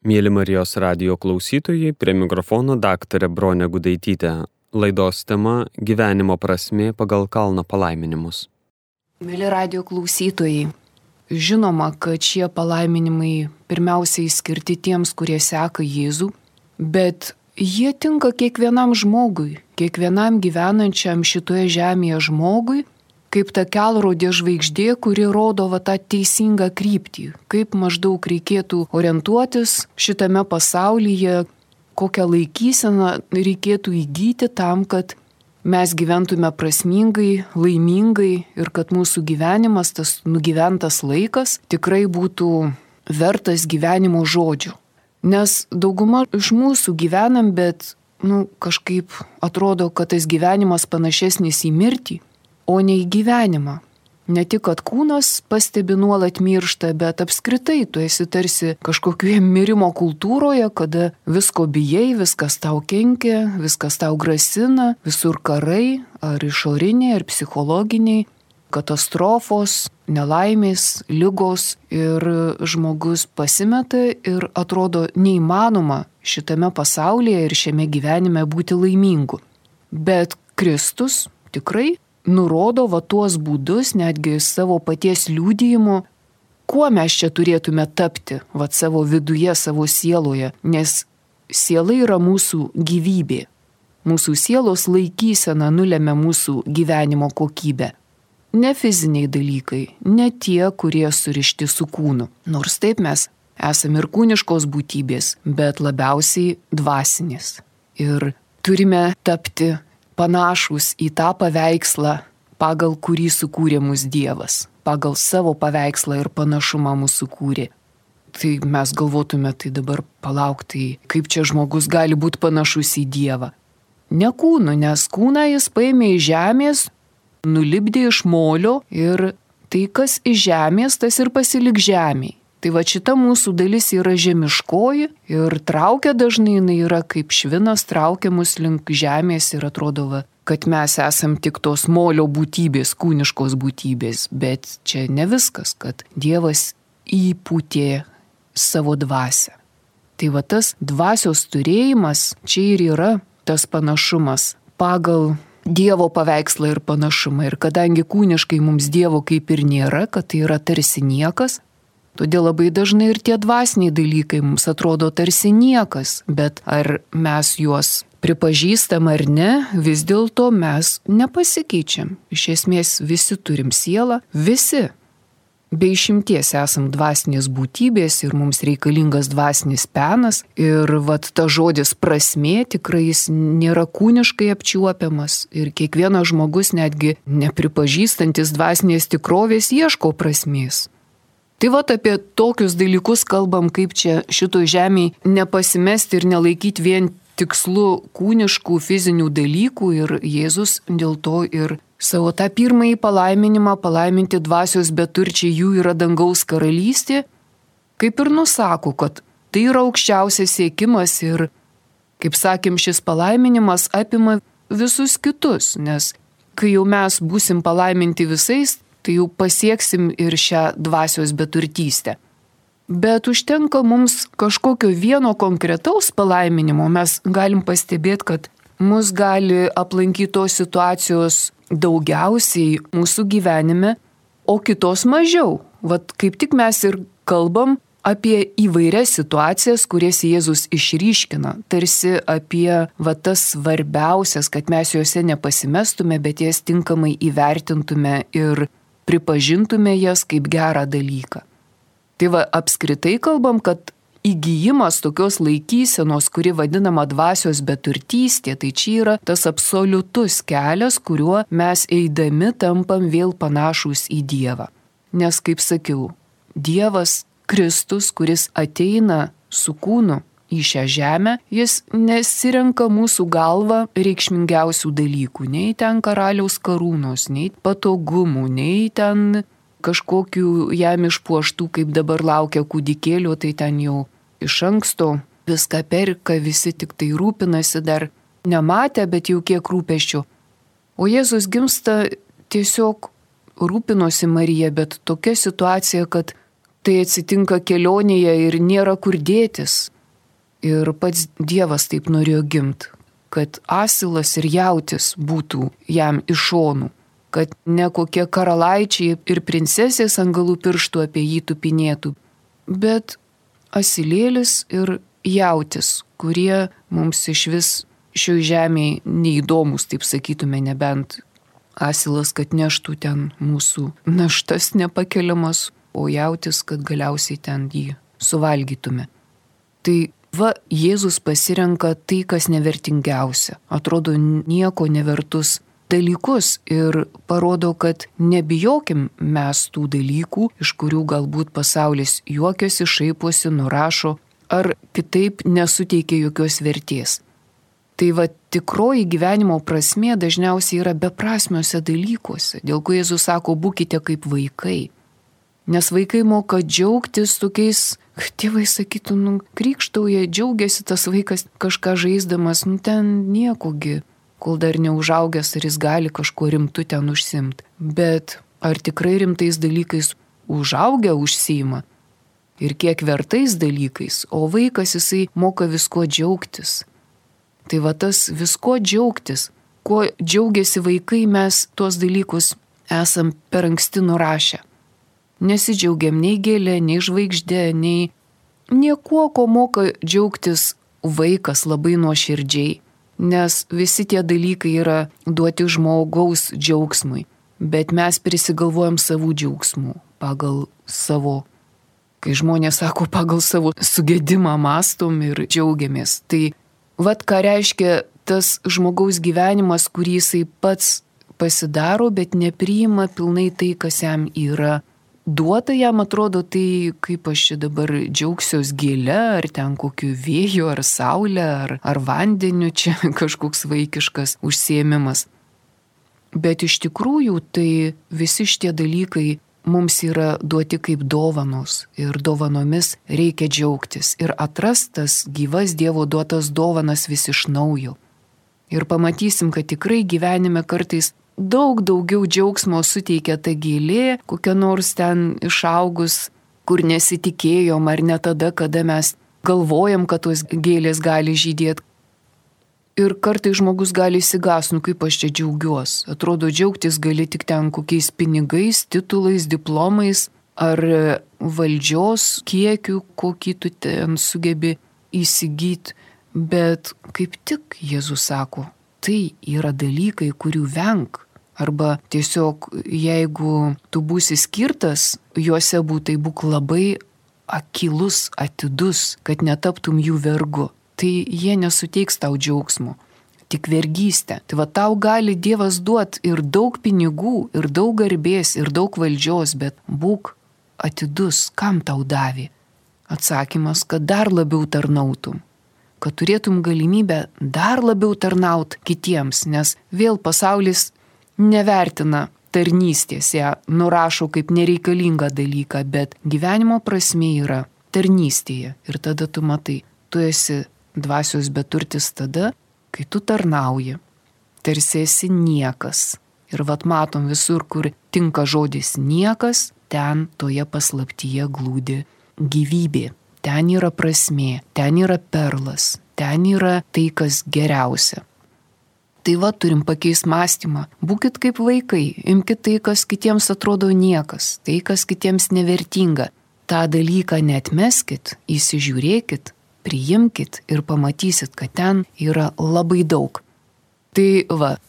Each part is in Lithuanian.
Mėly Marijos radijo klausytojai, prie mikrofono daktarė Bronė Gudaitytė. Laidos tema – gyvenimo prasmė pagal kalno palaiminimus. Mėly radijo klausytojai, žinoma, kad šie palaiminimai pirmiausiai skirti tiems, kurie seka Jėzų, bet jie tinka kiekvienam žmogui, kiekvienam gyvenančiam šitoje žemėje žmogui, kaip ta kelrodė žvaigždė, kuri rodo tą teisingą kryptį, kaip maždaug reikėtų orientuotis šitame pasaulyje, kokią laikyseną reikėtų įgyti tam, kad mes gyventume prasmingai, laimingai ir kad mūsų gyvenimas, tas nugyventas laikas, tikrai būtų vertas gyvenimo žodžių. Nes dauguma iš mūsų gyvenam, bet kažkaip atrodo, kad tas gyvenimas panašesnis į mirtį, o ne į gyvenimą. Ne tik, kad kūnas pastebi nuolat miršta, bet apskritai tu esi tarsi kažkokioje mirimo kultūroje, kada visko bijai, viskas tau kenkia, viskas tau grasina, visur karai, ar išoriniai, ar psichologiniai, katastrofos, nelaimės, ligos ir žmogus pasimeta ir atrodo neįmanoma šitame pasaulyje ir šiame gyvenime būti laimingu. Bet Kristus tikrai nurodo tuos būdus, netgi savo paties liudijimu, kuo mes čia turėtume tapti savo viduje, savo sieloje, nes siela yra mūsų gyvybė. Mūsų sielos laikysena nulemia mūsų gyvenimo kokybę. Ne fiziniai dalykai, ne tie, kurie surišti su kūnu. Nors taip mes esame ir kūniškos būtybės, bet labiausiai dvasinės. Ir turime tapti panašus į tą paveikslą, pagal kurį sukūrė mus Dievas. Pagal savo paveikslą ir panašumą mūsų sukūrė. Tai mes galvotume, tai dabar palaukti, kaip čia žmogus gali būti panašus į Dievą. Ne kūnu, nes kūną jis paėmė iš žemės, nulipdė iš molio ir tai, kas iš žemės, tas ir pasilik žemėj. Tai šita mūsų dalis yra žemiškoji ir traukia dažnai, jinai yra kaip švinas, traukia mus link žemės ir atrodo, kad mes esam tik tos molio būtybės, kūniškos būtybės. Bet čia ne viskas, kad Dievas įpūtė savo dvasią. Tai tas dvasios turėjimas čia ir yra tas panašumas pagal Dievo paveikslą ir panašumą. Ir kadangi kūniškai mums Dievo kaip ir nėra, kad tai yra tarsi niekas, todėl labai dažnai ir tie dvasiniai dalykai mums atrodo tarsi niekas, bet ar mes juos pripažįstam ar ne, vis dėlto mes nepasikeičiam. Iš esmės visi turim sielą, visi. Be išimties esam dvasinės būtybės ir mums reikalingas dvasinis penas ir ta žodis prasmė tikrai jis nėra kūniškai apčiuopiamas ir kiekvienas žmogus netgi nepripažįstantis dvasinės tikrovės ieško prasmės. Tai apie tokius dalykus kalbam, kaip čia šitoj žemėj nepasimesti ir nelaikyti vien tikslu kūniškų fizinių dalykų ir Jėzus dėl to ir savo tą pirmąjį palaiminimą palaiminti dvasios beturčiai jų yra dangaus karalystė, kaip ir nusako, kad tai yra aukščiausias siekimas ir, kaip sakėm, šis palaiminimas apima visus kitus, nes kai jau mes būsim palaiminti visais, tai jau pasieksim ir šią dvasios beturtystę. Bet užtenka mums kažkokio vieno konkretaus palaiminimo, mes galim pastebėti, kad mus gali aplankyti tos situacijos daugiausiai mūsų gyvenime, o kitos mažiau. Kaip tik mes ir kalbam apie įvairias situacijas, kurias Jėzus išryškina, tarsi apie tas svarbiausias, kad mes juose nepasimestume, bet jas tinkamai įvertintume ir pripažintume jas kaip gerą dalyką. Tai apskritai kalbam, kad įgijimas tokios laikysenos, kuri vadinama dvasios beturtystė, tai čia yra tas absoliutus kelias, kuriuo mes eidami tampam vėl panašūs į Dievą. Nes, kaip sakiau, Dievas Kristus, kuris ateina su kūnu į šią žemę, jis nesirenka mūsų galvą reikšmingiausių dalykų, nei ten karaliaus karūnos, nei patogumų, nei ten kažkokių jam išpuoštų, kaip dabar laukia kūdikėlių, tai ten jau iš anksto viską perka, visi tik tai rūpinasi, dar nematę, bet jau kiek rūpesčių. O Jėzus gimsta tiesiog rūpinosi Marija, bet tokia situacija, kad tai atsitinka kelionėje ir nėra kur dėtis. Ir pats Dievas taip norėjo gimti, kad asilas ir jautis būtų jam iš šonų, kad ne kokie karalaičiai ir princesės ant galų pirštų apie jį tupinėtų, bet asilėlis ir jautis, kurie mums iš vis šioj žemėje neįdomus, taip sakytume, nebent asilas, kad neštų ten mūsų naštas nepakeliamas, o jautis, kad galiausiai ten jį suvalgytume. Tai Jėzus pasirenka tai, kas nevertingiausia, atrodo nieko nevertus dalykus ir parodo, kad nebijokim mes tų dalykų, iš kurių galbūt pasaulis juokiasi, šaiposi, nurašo ar kitaip nesuteikia jokios vertės. Tai tikroji gyvenimo prasmė dažniausiai yra beprasmiuose dalykuose, dėl ko Jėzus sako, būkite kaip vaikai. Nes vaikai moka džiaugtis tokiais, tėvai sakytų, krykštauja, džiaugiasi tas vaikas kažką žaisdamas, ten niekogi, kol dar neužaugęs, ar jis gali kažkuo rimtu ten užsimti. Bet ar tikrai rimtais dalykais užaugę užsiima? Ir kiek vertais dalykais, o vaikas jisai moka visko džiaugtis. Tai tas visko džiaugtis, kuo džiaugiasi vaikai, mes tuos dalykus esam per anksti nurašę. Nesidžiaugiam nei gėlė, nei žvaigždė, nei niekuo, ko moka džiaugtis vaikas labai nuoširdžiai, nes visi tie dalykai yra duoti žmogaus džiaugsmui, bet mes prisigalvojam savų džiaugsmų pagal savo, kai žmonės sako, pagal savo sugedimą mąstom ir džiaugiamės. Tai ką reiškia tas žmogaus gyvenimas, kurį jisai pats pasidaro, bet nepriima pilnai tai, kas jam yra duota, jam atrodo, tai kaip aš čia dabar džiaugsiuos gėle, ar ten kokiu vėju, ar saulė, ar vandeniu, čia kažkoks vaikiškas užsiėmimas. Bet iš tikrųjų, tai visi šitie dalykai mums yra duoti kaip dovanos ir dovanomis reikia džiaugtis ir atrastas gyvas Dievo duotas dovanas vis iš naujo. Ir pamatysim, kad tikrai gyvenime kartais daug daugiau džiaugsmo suteikia ta gėlė, kokia nors ten išaugus, kur nesitikėjom, ar ne tada, kada mes galvojam, kad tos gėlės gali žydėti. Ir kartai žmogus gali įsigąs, kaip aš čia džiaugiuos. Atrodo, džiaugtis gali tik ten kokiais pinigais, titulais, diplomais, ar valdžios kiekiu, kokį tu ten sugebi įsigyti. Bet kaip tik Jėzus sako, tai yra dalykai, kurių venk. Arba tiesiog, jeigu tu būsi skirtas, juose būk labai akylus, atidus, kad netaptum jų vergu. Tai jie nesuteiks tau džiaugsmo, tik vergystę. Tai tau gali Dievas duoti ir daug pinigų, ir daug garbės, ir daug valdžios, bet būk atidus, kam tau davė. Atsakymas, kad dar labiau tarnautum. Kad turėtum galimybę dar labiau tarnaut kitiems, nes vėl pasaulis nevertina tarnystės, ją nurašo kaip nereikalingą dalyką, bet gyvenimo prasmė yra tarnystėje. Ir tada tu matai, tu esi dvasios beturtis tada, kai tu tarnauji, tarsi esi niekas. Ir matom visur, kur tinka žodis niekas, ten toje paslaptyje glūdi gyvybė. Ten yra prasmė, ten yra perlas, ten yra tai, kas geriausia. Tai turim pakeisti mąstymą. Būkit kaip vaikai, imkite tai, kas kitiems atrodo niekas, tai, kas kitiems nevertinga. tą dalyką neatmeskit, įsižiūrėkit, priimkit ir pamatysit, kad ten yra labai daug. Tai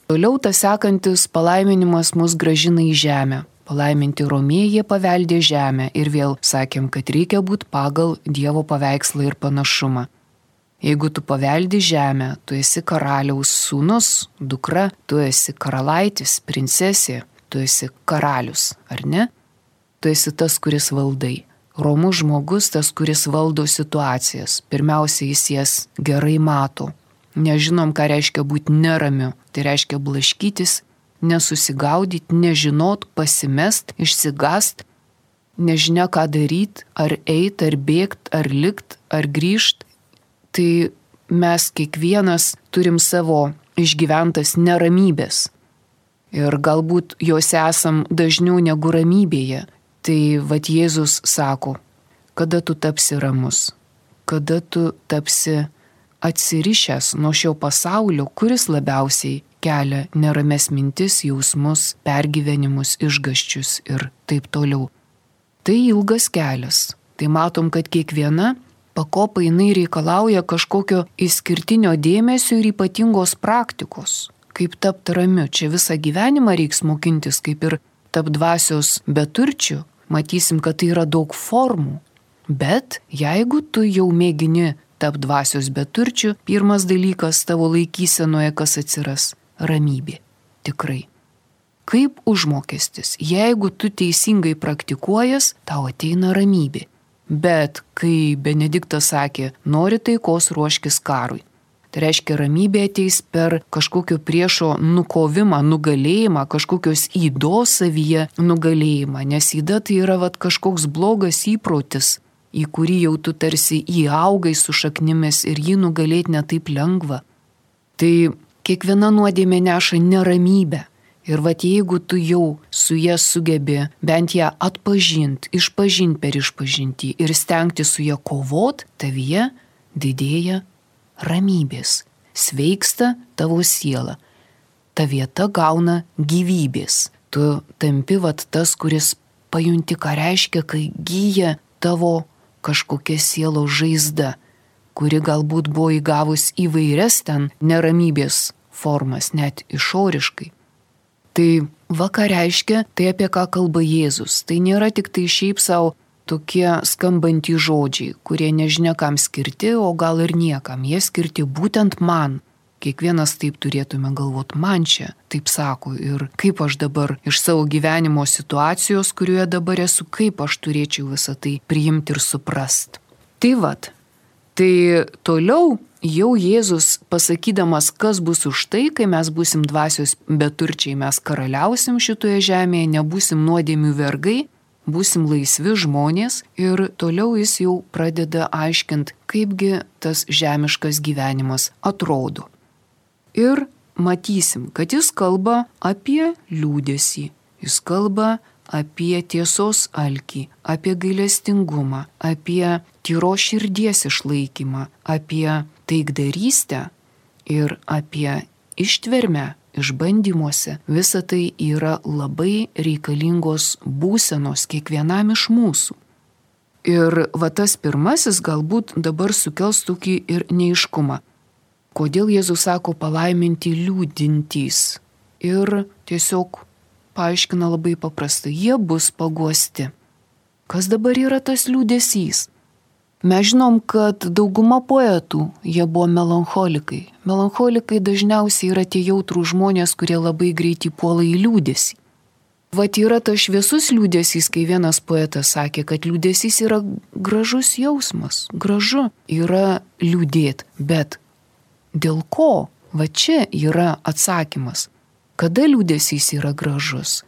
toliau tas sekantis palaiminimas mus gražina į žemę. Palaiminti romėjai paveldė žemę ir vėl sakėm, kad reikia būti pagal Dievo paveikslą ir panašumą. Jeigu tu paveldi žemę, tu esi karaliaus sūnus, dukra, tu esi karalaitis, princesė, tu esi karalius, ar ne? Tu esi tas, kuris valdai. Romus žmogus, tas, kuris valdo situacijas. Pirmiausia, jis jas gerai mato. Nežinom, ką reiškia būti neramiu. Tai reiškia blaškytis, nesusigaudyti, nežinot, pasimest, išsigast, nežinia, ką daryti, ar eit, ar bėgt, ar likt, ar grįžt. Tai mes kiekvienas turim savo išgyventas neramybės. Ir galbūt jos esam dažniau negu ramybėje. Tai Jėzus sako, kada tu tapsi ramus, kada tu tapsi atsirišęs nuo šio pasaulio, kuris labiausiai kelia nerames mintis, jausmus, pergyvenimus, išgąsčius ir taip toliau. Tai ilgas kelias. Tai matom, kad kiekviena pakopa jinai reikalauja kažkokio išskirtinio dėmesio ir ypatingos praktikos. Kaip tapti ramiu. Čia visą gyvenimą reiks mokintis, kaip ir tapti dvasios beturčiu. Matysim, kad tai yra daug formų. Bet jeigu tu jau mėgini tapti dvasios beturčiu, pirmas dalykas tavo laikysenoje, kas atsiras - ramybė. Tikrai. Kaip užmokestis. Jeigu tu teisingai praktikuojas, tau ateina ramybė. Bet kai Benediktas sakė, nori taikos, ruoškis karui. Tai reiškia, ramybė ateis per kažkokio priešo nukovimą, nugalėjimą, kažkokios ydos savyje nugalėjimą. Nes yda tai yra kažkoks blogas įprotis, į kurį jau tu tarsi įaugai su šaknimis ir jį nugalėti netaip lengva. Tai kiekviena nuodėmė neša neramybę. Ir jeigu tu jau su ja sugebi bent ją atpažinti, išpažinti per išpažintį ir stengti su ja kovot, tavyje didėja ramybės, sveiksta tavo siela, ta vieta gauna gyvybės. Tu tampi tas, kuris pajunti, ką reiškia, kai gyja tavo kažkokia sielos žaizda, kuri galbūt buvo įgavus įvairias ten neramybės formas, net išoriškai. Tai ką reiškia, tai apie ką kalba Jėzus. Tai nėra tik tai šiaip savo tokie skambantys žodžiai, kurie nežinia kam skirti, o gal ir niekam. Jie skirti būtent man. Kiekvienas taip turėtume galvoti, man čia taip sako. Ir kaip aš dabar iš savo gyvenimo situacijos, kurioje dabar esu, kaip aš turėčiau visą tai priimti ir suprast. Tai toliau jau Jėzus pasakydamas, kas bus už tai, kai mes būsim dvasios beturčiai, mes karaliausim šitoje žemėje, nebūsim nuodėmių vergai, būsim laisvi žmonės ir toliau jis jau pradeda aiškinti, kaipgi tas žemiškas gyvenimas atrodo. Ir matysim, kad jis kalba apie liūdesį, jis kalba apie tiesos alkį, apie gailestingumą, apie tyros širdies išlaikymą, apie taikdarystę ir apie ištvermę išbandymuose. Visa tai yra labai reikalingos būsenos kiekvienam iš mūsų. Ir tas pirmasis galbūt dabar sukels tokį ir neaiškumą. Kodėl Jėzus sako palaiminti liūdintys? Ir tiesiog paaiškina labai paprastai, jie bus paguosti. Kas dabar yra tas liūdesys? Mes žinom, kad dauguma poetų, jie buvo melancholikai. Melancholikai dažniausiai yra tie jautrų žmonės, kurie labai greitai puola į liūdesį. Yra tas šviesus liūdesys, kai vienas poetas sakė, kad liūdesys yra gražus jausmas. Gražu yra liūdėti, bet dėl ko? Čia yra atsakymas. Kada liūdesys yra gražus?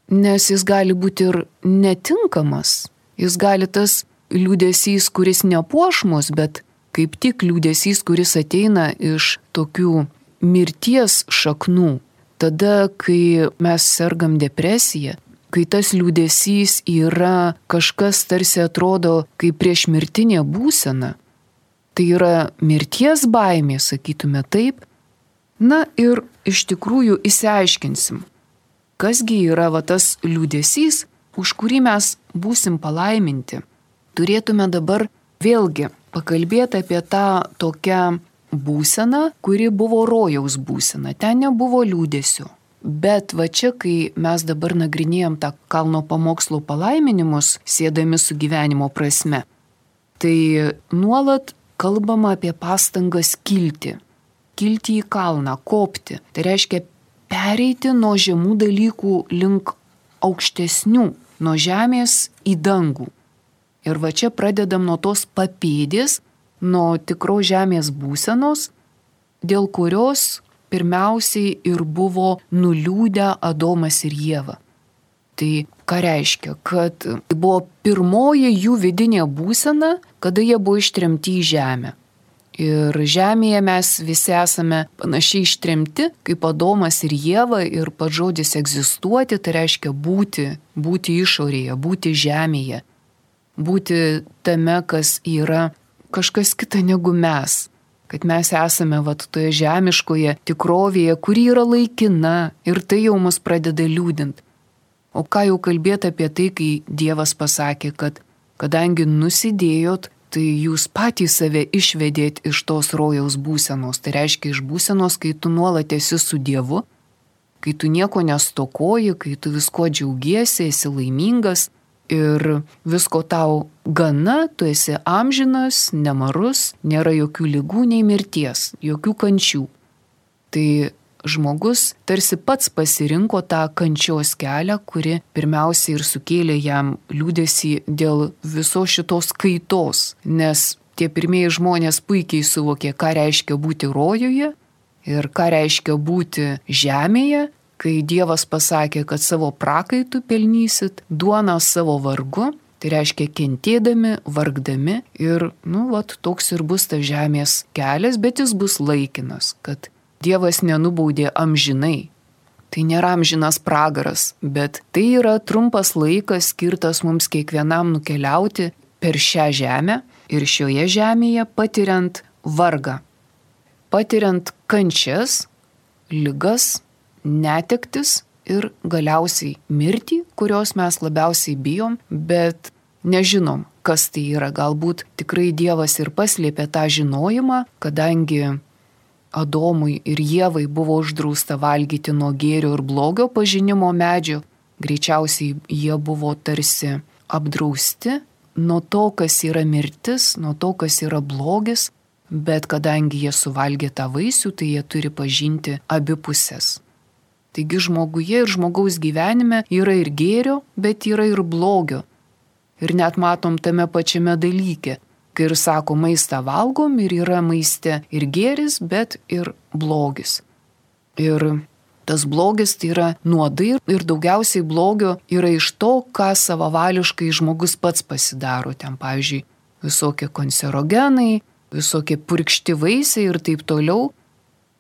Nes jis gali būti ir netinkamas. Jis gali tas liūdesys, kuris nepuošmus, bet kaip tik liūdesys, kuris ateina iš tokių mirties šaknų. Tada, kai mes sergam depresiją, kai tas liūdesys yra kažkas tarsi atrodo kaip priešmirtinė būsena, tai yra mirties baimė, sakytume taip. Ir iš tikrųjų išsiaiškinsim, kasgi yra tas liūdesys, už kurį mes būsim palaiminti. Turėtume dabar vėlgi pakalbėti apie tą tokią būseną, kuri buvo rojaus būsena. Ten nebuvo liūdesio. Bet čia, kai mes dabar nagrinėjom tą kalno pamokslo palaiminimus, siedami su gyvenimo prasme, tai nuolat kalbama apie pastangas kilti į kalną, kopti. Tai reiškia pereiti nuo žemų dalykų link aukštesnių, nuo žemės į dangų. Ir čia pradedam nuo tos papėdės, nuo tikros žemės būsenos, dėl kurios pirmiausiai ir buvo nuliūdę Adomas ir Ieva. Tai ką reiškia? Kad buvo pirmoji jų vidinė būsena, kada jie buvo ištremti į žemę. Ir žemėje mes visi esame panašiai ištremti, kaip Adomas ir Ieva, ir pats žodis egzistuoti, tai reiškia būti išorėje, būti žemėje, būti tame, kas yra kažkas kita negu mes. Kad mes esame toje žemiškoje tikrovėje, kuri yra laikina ir tai jau mus pradeda liūdinti. O ką jau kalbėti apie tai, kai Dievas pasakė, kad kadangi nusidėjot, tai jūs patys save išvedėt iš tos rojaus būsenos. Tai reiškia iš būsenos, kai tu nuolat esi su Dievu, kai tu nieko nestokoji, kai tu visko džiaugiesi, esi laimingas ir visko tau gana, tu esi amžinas, nemarus, nėra jokių ligų nei mirties, jokių kančių. Tai žmogus tarsi pats pasirinko tą kančios kelią, kuri pirmiausiai ir sukėlė jam liūdesį dėl visos šitos kaitos, nes tie pirmieji žmonės puikiai suvokė, ką reiškia būti rojuje ir ką reiškia būti žemėje, kai Dievas pasakė, kad savo prakaitų pelnysit duoną savo vargu, tai reiškia kentėdami, vargdami ir, toks ir bus tas žemės kelias, bet jis bus laikinas, kad Dievas nenubaudė amžinai. Tai nėra amžinas pragaras, bet tai yra trumpas laikas skirtas mums kiekvienam nukeliauti per šią žemę ir šioje žemėje patiriant vargą, patiriant kančias, ligas, netektis ir galiausiai mirtį, kurios mes labiausiai bijom, bet nežinom, kas tai yra. Galbūt tikrai Dievas ir paslėpė tą žinojimą, kadangi Adomui ir Ievai buvo uždrausta valgyti nuo gėrio ir blogio pažinimo medžio, greičiausiai jie buvo tarsi apdrausti nuo to, kas yra mirtis, nuo to, kas yra blogis, bet kadangi jie suvalgė tą vaisių, tai jie turi pažinti abi pusės. Taigi žmoguje ir žmogaus gyvenime yra ir gėrio, bet yra ir blogio. Ir net matom tame pačiame dalyke. Kai ir sako, maistą valgom ir yra maiste ir gėris, bet ir blogis. Ir tas blogis tai yra nuodai ir daugiausiai blogio yra iš to, ką savavališkai žmogus pats pasidaro. Ten, pavyzdžiui, visokie kancerogenai, visokie purkšti vaisiai ir taip toliau.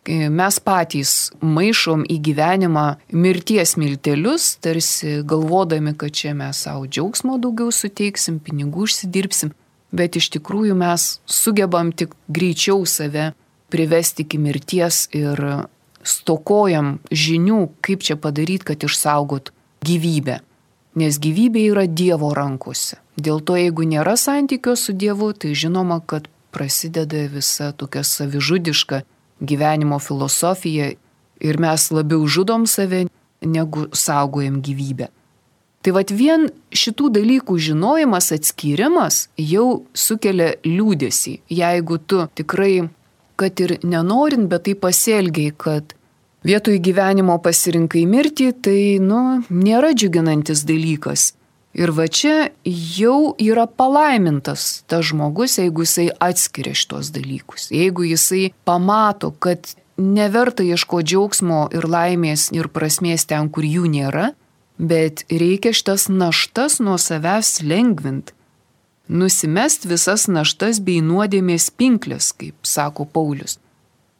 Mes patys maišom į gyvenimą mirties miltelius, tarsi galvodami, kad čia mes savo džiaugsmo daugiau suteiksim, pinigų užsidirbsim. Bet iš tikrųjų mes sugebam tik greičiau save privesti iki mirties ir stokojam žinių, kaip čia padaryti, kad išsaugot gyvybę. Nes gyvybė yra Dievo rankose. Dėl to, jeigu nėra santykio su Dievu, tai žinoma, kad prasideda visa tokia savižudiška gyvenimo filosofija ir mes labiau žudom save, negu saugojam gyvybę. Tai vien šitų dalykų žinojimas, atskyrimas jau sukelia liūdesį. Jeigu tu tikrai, kad ir nenorint, bet tai pasielgiai, kad vietoj gyvenimo pasirinkai mirtį, tai nėra džiuginantis dalykas. Ir čia jau yra palaimintas tas žmogus, jeigu jisai atskiria šitos dalykus. Jeigu jisai pamato, kad neverta ieškoti džiaugsmo ir laimės ir prasmės ten, kur jų nėra, bet reikia šitas naštas nuo savęs lengvinti. Nusimest visas naštas bei nuodėmės pinklės, kaip sako Paulius.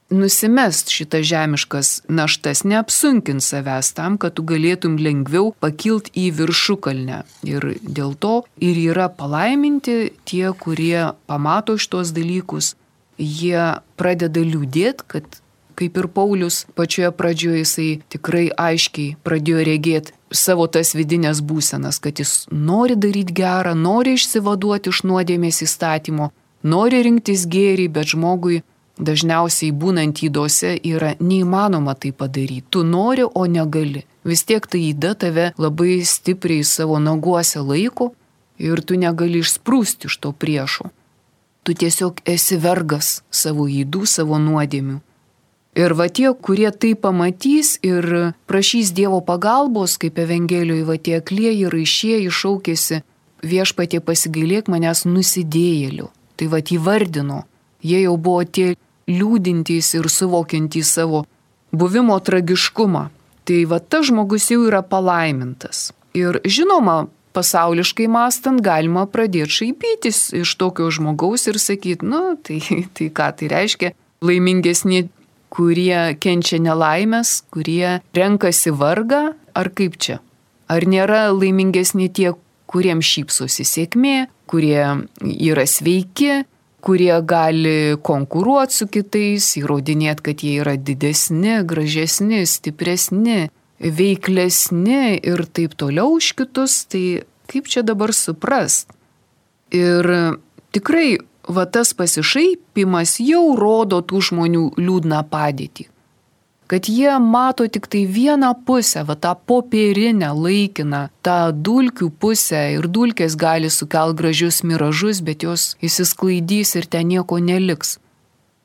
Nusimest šitas žemiškas naštas, neapsunkint savęs tam, kad tu galėtum lengviau pakilt į viršukalnę. Ir dėl to ir yra palaiminti tie, kurie pamato šitos dalykus. Jie pradeda liūdėti, kad kaip ir Paulius pačioje pradžioje jisai tikrai aiškiai pradėjo regėti savo tas vidinės būsenas, kad jis nori daryti gerą, nori išsivaduoti iš nuodėmės įstatymo, nori rinktis gėrį, bet žmogui dažniausiai būnant ydose yra neįmanoma tai padaryti. Tu nori, o negali. Vis tiek ta yda tave labai stipriai savo naguose laiko ir tu negali išsprūsti iš to priešo. Tu tiesiog esi vergas savo ydų, savo nuodėmių. Ir tie, kurie tai pamatys ir prašys Dievo pagalbos, kaip Evangelijoje tie aklieji raišieji šaukėsi, Viešpatie pasigailėk manęs nusidėjėlių. Tai įvardino, jie jau buvo tie liūdintys ir suvokiantys savo buvimo tragiškumą. Tai tas žmogus jau yra palaimintas. Ir žinoma, pasauliškai mąstant galima pradėti šaipytis iš tokio žmogaus ir sakyti, tai ką tai reiškia, laimingesni, kurie kenčia nelaimės, kurie renkasi vargą, ar kaip čia? Ar nėra laimingesni tie, kuriems šypsosi sėkmė, kurie yra sveiki, kurie gali konkuruoti su kitais, įrodinėti, kad jie yra didesni, gražesni, stipresni, veiklesni ir taip toliau už kitus, tai kaip čia dabar suprast? Ir tikrai tas pasišaipimas jau rodo tų žmonių liūdną padėtį. Kad jie mato tik tai vieną pusę, tą popierinę, laikiną, tą dulkių pusę ir dulkės gali sukelti gražius miražus, bet jos įsisklaidys ir ten nieko neliks.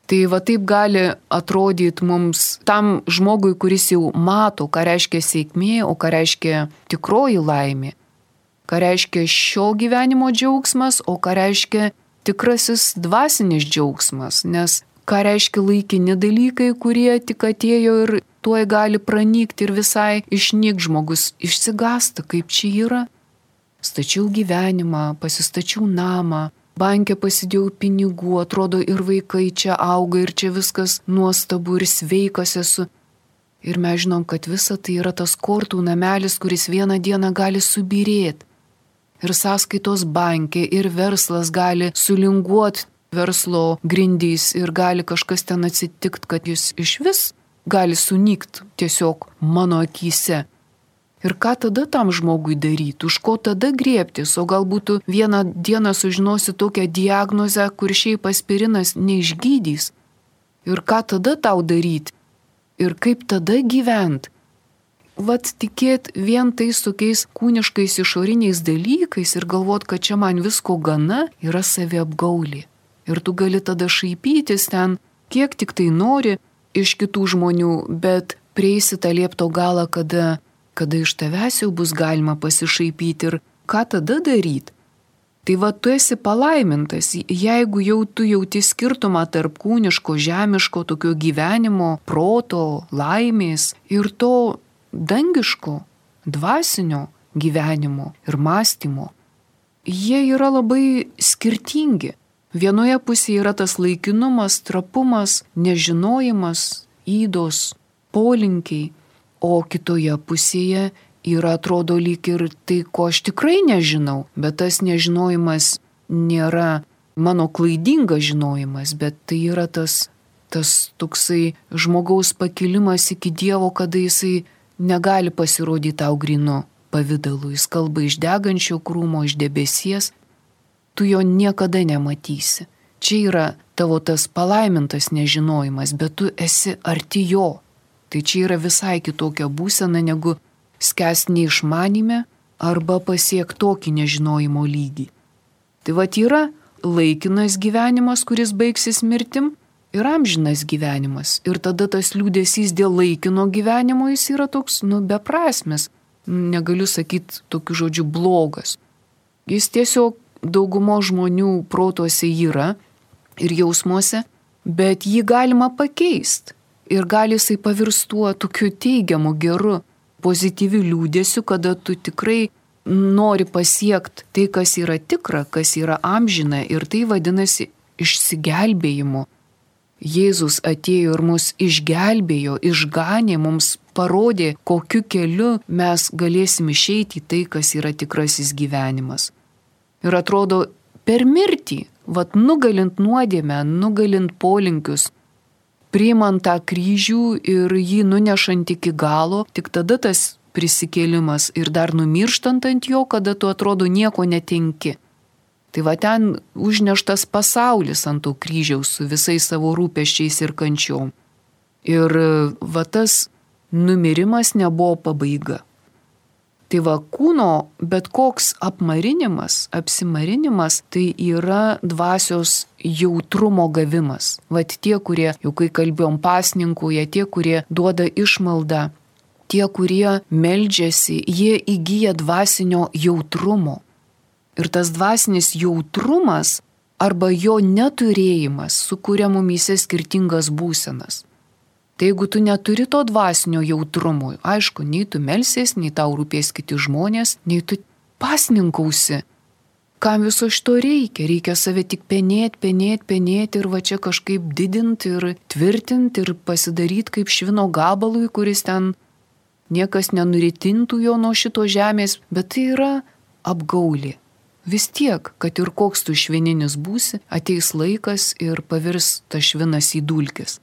Tai taip gali atrodyti mums tam žmogui, kuris jau mato, ką reiškia sėkmė, o ką reiškia tikroji laimė, ką reiškia šio gyvenimo džiaugsmas, o ką reiškia tikrasis dvasinis džiaugsmas, nes ką reiškia laikini dalykai, kurie tik atėjo ir tuoj gali pranykti ir visai išnykti, žmogus išsigąsta, kaip čia yra. Stačiau gyvenimą, pasistačiau namą, banke pasidėjau pinigų, atrodo ir vaikai čia auga ir čia viskas nuostabu ir sveikas esu. Ir mes žinom, kad visa tai yra tas kortų namelis, kuris vieną dieną gali subyrėti. Ir sąskaitos banke, ir verslas gali sulinguoti, verslo grindys ir gali kažkas ten atsitikti, kad jis iš vis gali sunykti tiesiog mano akyse. Ir ką tada tam žmogui daryti, už ko tada griebtis, o galbūt vieną dieną sužinosi tokią diagnozę, kur šiaip aspirinas neišgydys. Ir ką tada tau daryti, ir kaip tada gyventi. Tikėt vien tais tokiais kūniškais išoriniais dalykais ir galvot, kad čia man visko gana, yra saviapgaulė. Ir tu gali tada šaipytis ten, kiek tik tai nori iš kitų žmonių, bet prieisi tą liepto galą, kada iš tavęs jau bus galima pasišaipyti ir ką tada daryti. Tai tu esi palaimintas, jeigu jau tu jauti skirtumą tarp kūniško, žemiško, tokio gyvenimo, proto, laimės ir to dangiško, dvasinio gyvenimo ir mąstymo. Jie yra labai skirtingi. Vienoje pusėje yra tas laikinumas, trapumas, nežinojimas, ydos, polinkiai, o kitoje pusėje yra atrodo lyg ir tai, ko aš tikrai nežinau, bet tas nežinojimas nėra mano klaidingas žinojimas, bet tai yra tas toksai žmogaus pakilimas iki Dievo, kada jisai negali pasirodyti tau grinu pavidalu, jis kalba iš degančio krūmo, iš debesies. Tu jo niekada nematysi. Čia yra tavo tas palaimintas nežinojimas, bet tu esi arti jo. Tai čia yra visai kitokia būsena, negu skęsti neišmanime arba pasiekti tokį nežinojimo lygį. Tai yra laikinas gyvenimas, kuris baigsis mirtim, ir amžinas gyvenimas. Ir tada tas liūdesys dėl laikino gyvenimo jis yra toks, beprasmis. Negaliu sakyti tokiu žodžiu blogas. Jis tiesiog daugumo žmonių protuose yra ir jausmuose, bet jį galima pakeisti ir gali jisai pavirstuo tokiu teigiamu, geru, pozityviu liūdėsiu, kada tu tikrai nori pasiekti tai, kas yra tikra, kas yra amžina ir tai vadinasi išsigelbėjimu. Jėzus atėjo ir mus išgelbėjo, išganė, mums parodė, kokiu keliu mes galėsim išeiti į tai, kas yra tikrasis gyvenimas. Ir atrodo, per mirtį, nugalint nuodėmę, nugalint polinkius, priimant tą kryžių ir jį nunešant iki galo, tik tada tas prisikėlimas ir dar numirštant ant jo, kada tu atrodo nieko netenki. Tai ten užneštas pasaulis ant to kryžiaus su visais savo rūpesčiais ir kančiom. Ir tas numirimas nebuvo pabaiga. Tai kūno bet koks apmarinimas, apsimarinimas, tai yra dvasios jautrumo gavimas. Tie, kurie, jau kai kalbėjom pasninkuoja, tie, kurie duoda išmaldą, tie, kurie meldžiasi, jie įgyja dvasinio jautrumo. Ir tas dvasinis jautrumas arba jo neturėjimas sukuria mumyse skirtingas būsenas. Tai jeigu tu neturi to dvasinio jautrumo, aišku, nei tu melsies, nei tau rūpės kiti žmonės, nei tu pasninkausi. Kam viso šito reikia? Reikia save tik penėti ir čia kažkaip didinti ir tvirtinti ir pasidaryti kaip švino gabalui, kuris ten niekas nenuritintų jo nuo šito žemės, bet tai yra apgaulė. vis tiek, kad ir koks tu švininis būsi, ateis laikas ir pavirs tas švinas į dulkes.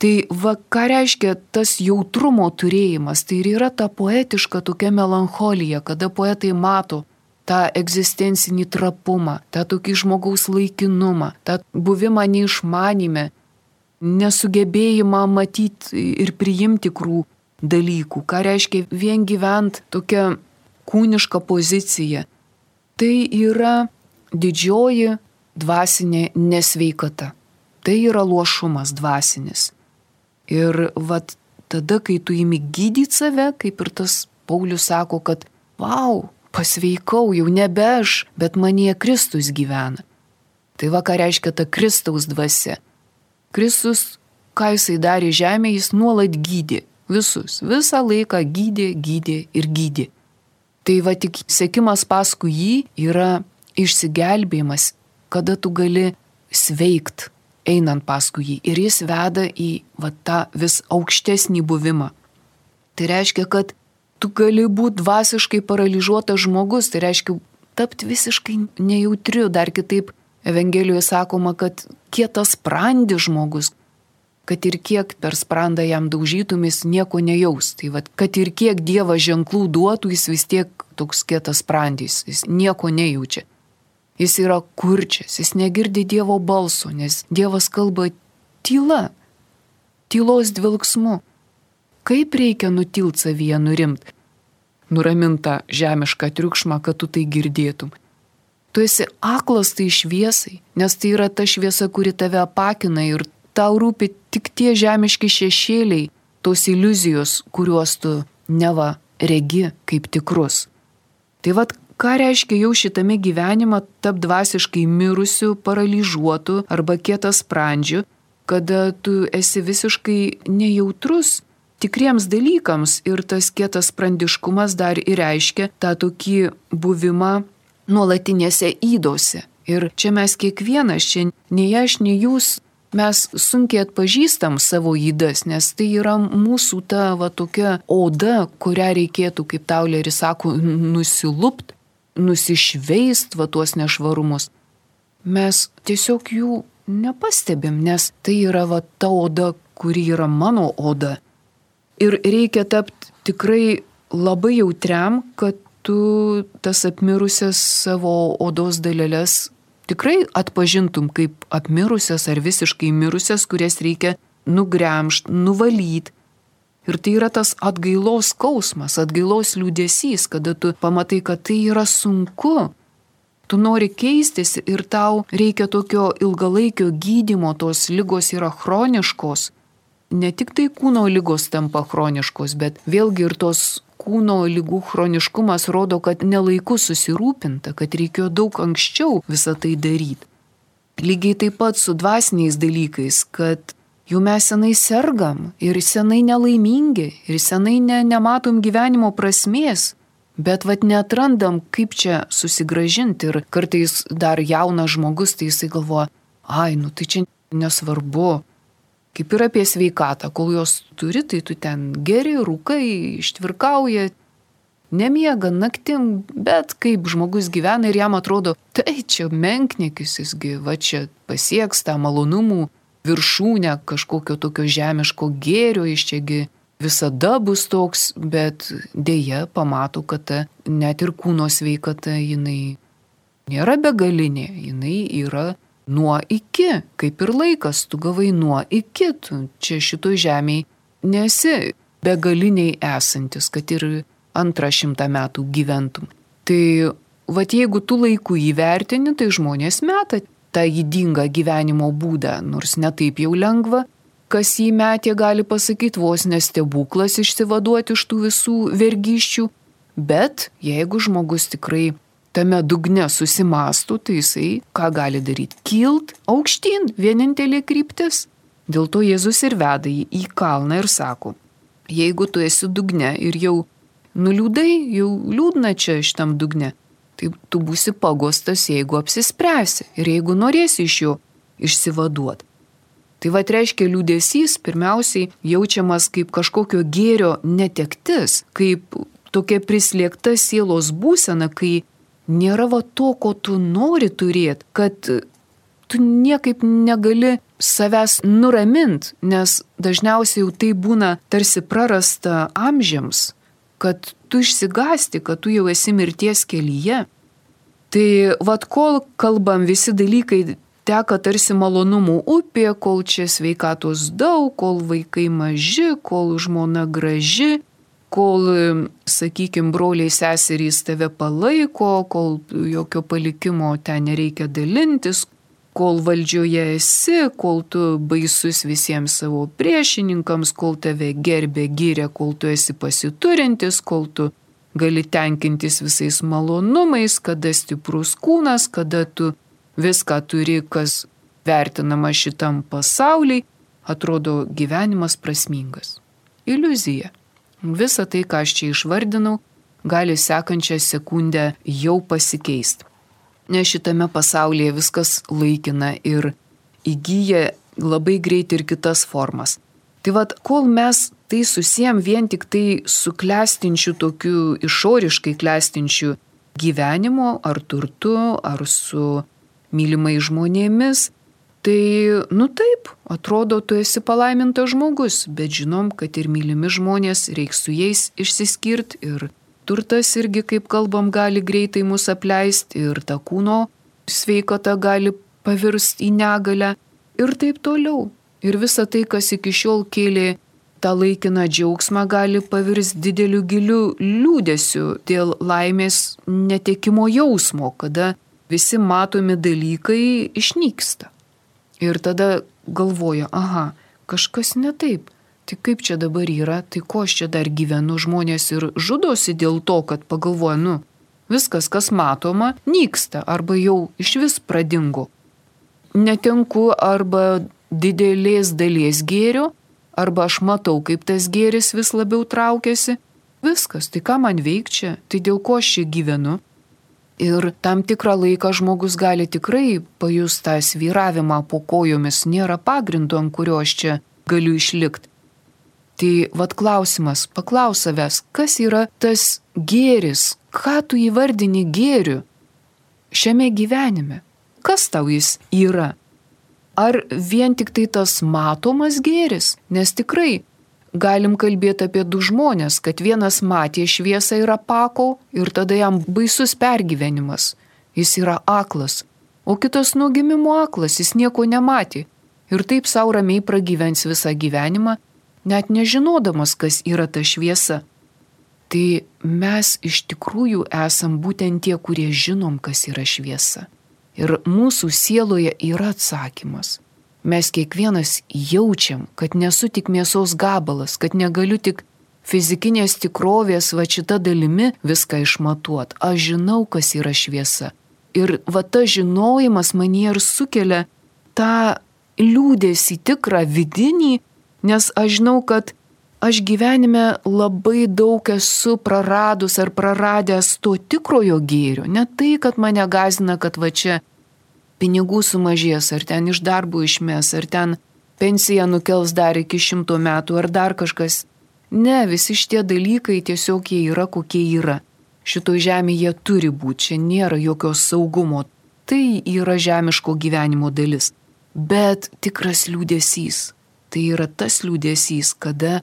Tai va, ką reiškia tas jautrumo turėjimas, tai ir yra ta poetiška tokia melancholija, kada poetai mato tą egzistencinį trapumą, tą tokį žmogaus laikinumą, tą buvimą neišmanime, nesugebėjimą matyti ir priimti tikrų dalykų, ką reiškia vien gyvent tokia kūniška pozicija. Tai yra didžioji dvasinė nesveikata. Tai yra luošumas dvasinis. Ir vat tada, kai tu imi gydyti save, kaip ir tas Paulius sako, kad vau, pasveikau, jau nebe aš, bet manyje Kristus gyvena. Tai va, ką reiškia ta Kristaus dvasia. Kristus, ką jisai darė žemėje, jis nuolat gydė visus. Visą laiką gydė ir gydė. Tai va tik sekimas paskui jį yra išsigelbėjimas, kada tu gali sveikt, einant paskui jį. Ir jis veda į va tą vis aukštesnį buvimą. Tai reiškia, kad tu gali būti dvasiškai paralyžiuotas žmogus, tai reiškia tapti visiškai nejautriu. Dar kitaip Evangelijoje sakoma, kad kietas sprandis žmogus, kad ir kiek per sprandą jam daužytumės, nieko nejaus. Tai vat, kad ir kiek Dievas ženklų duotų, jis vis tiek toks kietas sprandis, jis nieko nejaučia. Jis yra kurčias, jis negirdi Dievo balso, nes Dievas kalba tyla, tylos dvilksmu. Kaip reikia nutilt savyje nurimt, nuramintą žemišką triukšmą, kad tu tai girdėtum. Tu esi aklas tai šviesai, nes tai yra ta šviesa, kuri tave apakina ir tau rūpi tik tie žemiški šešėliai, tos iliuzijos, kuriuos tu neva regi kaip tikrus. Tai vat, ką reiškia jau šitame gyvenime tapti dvasiškai mirusiu, paralyžiuotu arba kietas sprandžiu, kada tu esi visiškai nejautrus tikriems dalykams ir tas kietas sprandiškumas dar ir reiškia tą tokį buvimą nuolatinėse ydose. Ir čia mes kiekvienas, čia nei aš, nei jūs, mes sunkiai atpažįstam savo ydas, nes tai yra mūsų ta va tokia oda, kurią reikėtų, kaip Tauleris sako, nusilupt, nusišveist va tuos nešvarumus. Mes tiesiog jų nepastebim, nes tai yra va ta oda, kuri yra mano oda. Ir reikia tapti tikrai labai jautriam, kad tu tas apmirusias savo odos dalelės tikrai atpažintum kaip apmirusias ar visiškai mirusias, kurias reikia nugremžt, nuvalyt. Ir tai yra tas atgailos skausmas, atgailos liūdesys, kada tu pamatai, kad tai yra sunku. Tu nori keistis ir tau reikia tokio ilgalaikio gydymo, tos ligos yra chroniškos. Ne tik tai kūno ligos tampa chroniškos, bet vėlgi ir tos kūno ligų chroniškumas rodo, kad nelaiku susirūpinta, kad reikėjo daug anksčiau visą tai daryti. Lygiai taip pat su dvasiniais dalykais, kad jau mes senai sergam ir senai nelaimingi ir senai nematom gyvenimo prasmės, bet vat neatrandam, kaip čia susigrąžinti. Ir kartais dar jaunas žmogus, tai jisai galvoja, tai čia nesvarbu. Kaip ir apie sveikatą, kol jos turi, tai tu ten geri, rūkai, ištvirkauja, nemiega naktim, bet kaip žmogus gyvena ir jam atrodo, tai čia menkniekis, jisgi va čia pasieks tą malonumų viršūnę kažkokio tokio žemiško gėrio, iš čiagi visada bus toks, bet dėja pamato, kad net ir kūno sveikata jinai nėra begalinė, jinai yra nuo iki, kaip ir laikas, tu gavai nuo iki, tu čia šitoj žemėje nesi begaliniai esantis, kad ir 200 metų gyventum. Tai vat jeigu tu laiku įvertini, tai žmonės meta tą ydingą gyvenimo būdą, nors ne taip jau lengva, kas jį metė gali pasakyti vos nestebuklas išsivaduoti iš tų visų vergyščių, bet jeigu žmogus tikrai tame dugne susimastų, tai jisai ką gali daryti? Kilt aukštyn, vienintelė kryptis. Dėl to Jėzus ir veda jį į kalną ir sako, jeigu tu esi dugne ir jau nuliūdai, jau liūdna čia šitam dugne, tai tu būsi pagostas, jeigu apsispręsi ir jeigu norėsi iš jo išsivaduoti. Tai va reiškia liūdesys pirmiausiai jaučiamas kaip kažkokio gėrio netektis, kaip tokia prislėgta sielos būsena, kai nėra va to, ko tu nori turėti, kad tu niekaip negali savęs nuramint, nes dažniausiai jau tai būna tarsi prarasta amžiams, kad tu išsigąsti, kad tu jau esi mirties kelyje. Tai vat kol kalbam visi dalykai teka tarsi malonumų upė, kol čia sveikatos daug, kol vaikai maži, kol žmona graži, kol, sakykime, broliai seserys tave palaiko, kol jokio palikimo ten nereikia dalintis, kol valdžioje esi, kol tu baisus visiems savo priešininkams, kol tave gerbė, gyrė, kol tu esi pasiturintis, kol tu gali tenkintis visais malonumais, kada stiprus kūnas, kada tu viską turi, kas vertinama šitam pasauliai, atrodo gyvenimas prasmingas. Iliuzija. Visa tai, ką aš čia išvardinau, gali sekančią sekundę jau pasikeisti. Nes šitame pasaulyje viskas laikina ir įgyja labai greit ir kitas formas. Tai vad, kol mes tai susijam vien tik tai su klestinčiu tokiu išoriškai klestinčiu gyvenimo, ar turtu, ar su mylimai žmonėmis, tai, taip, atrodo, tu esi palaimintas žmogus, bet žinom, kad ir mylimi žmonės, reiks su jais išsiskirti ir turtas irgi, kaip kalbam, gali greitai mus apleisti ir ta kūno sveikata gali pavirsti į negalę ir taip toliau. Ir visa tai, kas iki šiol kėlė tą laikiną džiaugsmą, gali pavirsti dideliu giliu liūdesiu dėl laimės netekimo jausmo, kada visi matomi dalykai išnyksta. Ir tada galvoja, kažkas ne taip. Tai kaip čia dabar yra, tai ko aš čia dar gyvenu, žmonės ir žudosi dėl to, kad pagalvoja, viskas, kas matoma, nyksta arba jau išvis pradingo. Netenku arba didelės dalies gėrio, arba aš matau, kaip tas gėris vis labiau traukiasi. Viskas, tai ką man veikčia, tai dėl ko aš čia gyvenu. Ir tam tikrą laiką žmogus gali tikrai pajusti tą svyravimą po kojomis, nėra pagrindo, ant kurio aš čia galiu išlikti. Tai vat klausimas, paklaus savęs, kas yra tas gėris, ką tu įvardini gėriu šiame gyvenime, kas tau jis yra. Ar vien tik tai tas matomas gėris, nes tikrai galim kalbėti apie du žmonės, kad vienas matė šviesą ir apako ir tada jam baisus pergyvenimas, jis yra aklas, o kitas nuo gimimo aklas, jis nieko nematė ir taip sau ramiai pragyvens visą gyvenimą, net nežinodamas, kas yra ta šviesa. Tai mes iš tikrųjų esam būtent tie, kurie žinom, kas yra šviesa. Ir mūsų sieloje yra atsakymas. Mes kiekvienas jaučiam, kad nesu tik mėsos gabalas, kad negaliu tik fizikinės tikrovės va šita dalimi viską išmatuot. Aš žinau, kas yra šviesa. Ir va ta žinojimas manyje ir sukelia tą liūdesį tikrą vidinį, nes aš žinau, kad aš gyvenime labai daug esu praradus ar praradęs to tikrojo gėrio. Ne tai, kad mane gąsdina, kad va čia pinigų sumažės, ar ten iš darbo išmes, ar ten pensiją nukels dar iki 100 metų, ar dar kažkas. Ne, visi šitie dalykai tiesiog jie yra, kokie yra. Šito žemėje turi būti, čia nėra jokios saugumo. Tai yra žemiško gyvenimo dalis. Bet tikras liūdesys. Tai yra tas liūdesys, kada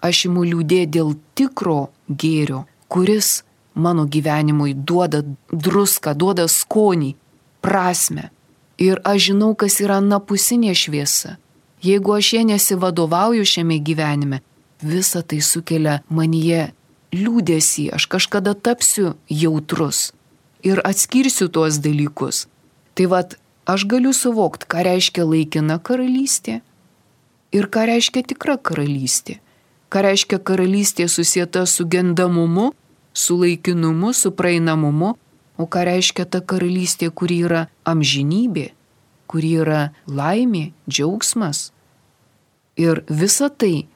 aš imu liūdėti dėl tikro gėrio, kuris mano gyvenimui duoda druską, duoda skonį, prasmę. Ir aš žinau, kas yra anapusinė šviesa. Jeigu aš ją nesivadovauju šiame gyvenime, visa tai sukelia manyje liūdesį, aš kažkada tapsiu jautrus ir atskirsiu tuos dalykus. Tai vat, aš galiu suvokti, ką reiškia laikina karalystė ir ką reiškia tikra karalystė. Ką reiškia karalystė susieta su gendamumu, su laikinumu, su praeinamumu, o ką reiškia ta karalystė, kuri yra amžinybė, kuri yra laimė, džiaugsmas. Ir visa tai,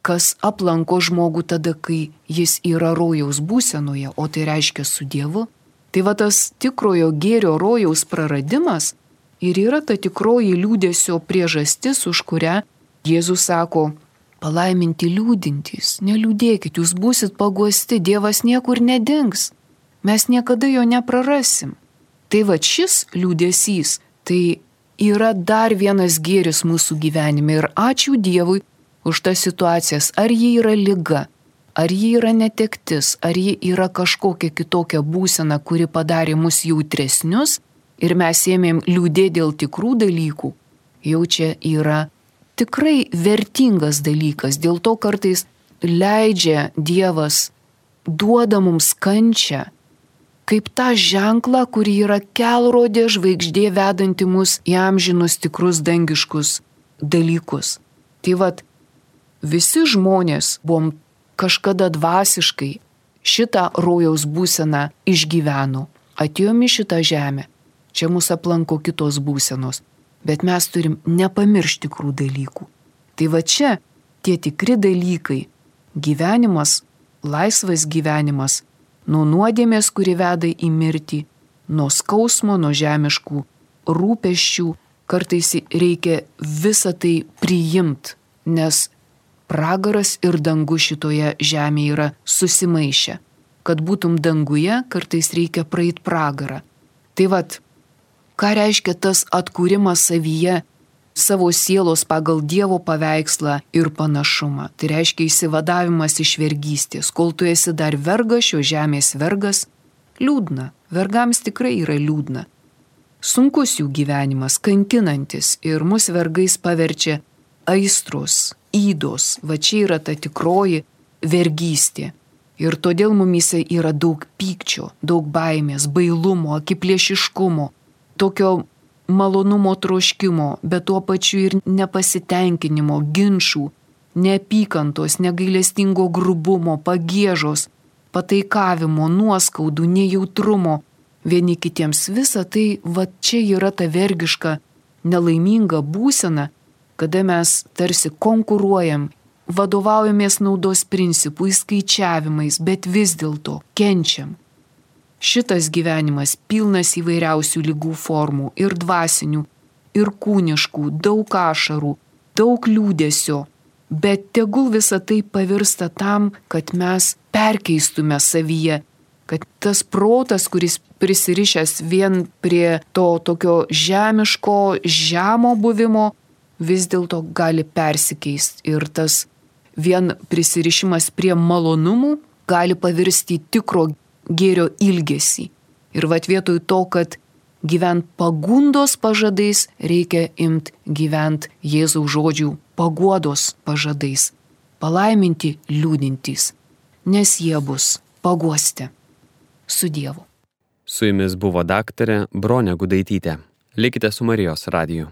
kas aplanko žmogų tada, kai jis yra rojaus būsenoje, o tai reiškia su Dievu, tai va tas tikrojo gėrio rojaus praradimas ir yra ta tikroji liūdesio priežastis, už kurią Jėzus sako, palaiminti liūdintys, neliūdėkit, jūs būsit paguosti, Dievas niekur nedings. mes niekada jo neprarasim. Tai va šis liūdesys, tai yra dar vienas gėris mūsų gyvenime ir ačiū Dievui už tas situacijas, ar ji yra liga, ar ji yra netektis, ar ji yra kažkokia kitokia būsena, kuri padarė mus jautresnius ir mes ėmėm liūdėti dėl tikrų dalykų, jau čia yra tikrai vertingas dalykas. Dėl to kartais leidžia Dievas, duoda mums kančią, kaip tą ženklą, kuri yra kelrodė žvaigždė vedanti mus į amžinus tikrus dangiškus dalykus. Tai vat, visi žmonės buvom kažkada dvasiškai šitą rojaus būseną išgyveno. Atėjom į šitą žemę, čia mūsų aplanko kitos būsenos, bet mes turim nepamiršti tikrų dalykų. Tai va čia tie tikri dalykai, gyvenimas, laisvas gyvenimas, nuo nuodėmės, kuri veda į mirtį, nuo skausmo, nuo žemiškų rūpesčių, kartais reikia visą tai priimti, nes pragaras ir dangus šitoje žemėje yra susimaišę. Kad būtum danguje, kartais reikia praeit pragarą. Tai vat, ką reiškia tas atkūrimas savyje, savo sielos pagal Dievo paveikslą ir panašumą. Tai reiškia įsivadavimas iš vergystės. Kol tu esi dar vergas, šio žemės vergas, liūdna. Vergams tikrai yra liūdna. Sunkus jų gyvenimas, kankinantis ir mus vergais paverčia aistros, ydos. Va čia yra ta tikroji vergystė. Ir todėl mumyse yra daug pykčio, daug baimės, bailumo, akiplėšiškumo, tokio malonumo troškimo, bet tuo pačiu ir nepasitenkinimo, ginčų, neapykantos, negailestingo grubumo, pagiežos, pataikavimo, nuoskaudų, nejautrumo vieni kitiems. Visa tai, va čia yra ta vergiška, nelaiminga būsena, kada mes tarsi konkuruojam, vadovaujamės naudos principų, įskaičiavimais, bet vis dėlto kenčiam. Šitas gyvenimas pilnas įvairiausių ligų formų, ir dvasinių, ir kūniškų, daug ašarų, daug liūdesio, bet tegul visa tai pavirsta tam, kad mes perkeistume savyje, kad tas protas, kuris prisirišęs vien prie to tokio žemiško, žemo buvimo, vis dėlto gali persikeisti ir tas vien prisirišimas prie malonumų gali pavirsti tikro gėrio ilgesį. Ir vat vietoj to, kad gyvent pagundos pažadais, reikia imt gyvent Jėzaus žodžių paguodos pažadais. Palaiminti liūdintys, nes jie bus paguosti. Su Dievu. Su jumis buvo daktarė Bronė Gudaitytė. Likite su Marijos radiju.